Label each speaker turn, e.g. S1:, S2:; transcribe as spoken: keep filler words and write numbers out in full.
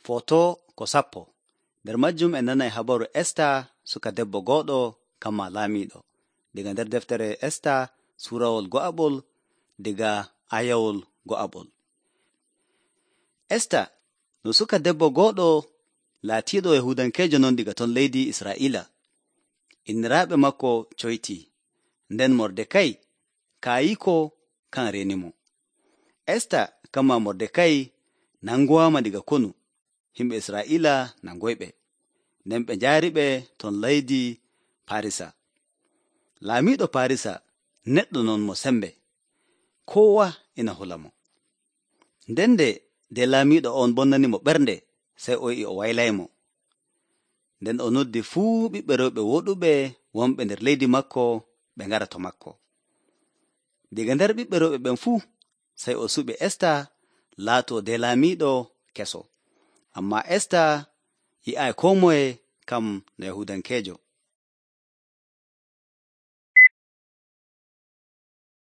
S1: Foto ko sappo. Nder majjum en nanay habaru Esta suka debbo goɗo kamma laamiiɗo. Diga nder deftere Esta suurawol go'aɓol diga ayawol go'aɓol. Esta no suka debbo goɗo laatiiɗo Yahudankeejo non diga ton leydi Israa'iila. Inniraaɓe makko coytii, nden Mordekay kaayiko kan reenimo. Esta kamma Mordekay nangowaama diga konu. Himɓe Israa'iila nangoyɓe, nden ɓe njaariɓe ton leydi Parisa. Laamiiɗo Parisa neɗɗo non mo sembe, koowa ina hula mo. Nden nde nde laamiiɗo on bonnani mo ɓernde, sey o yi'i o waylaymo. Nden o noddi fuu ɓiɓɓe rewɓe woɗuɓe wonɓe nder leydi makko ɓe ngara to makko. Diga nder ɓiɓɓe rewɓe ɓen fuu, sey o suɓi Esta laatoo de laamiiɗo keso. Ammaa Esta yi'aayi koo moye kam no Yahudankeejo.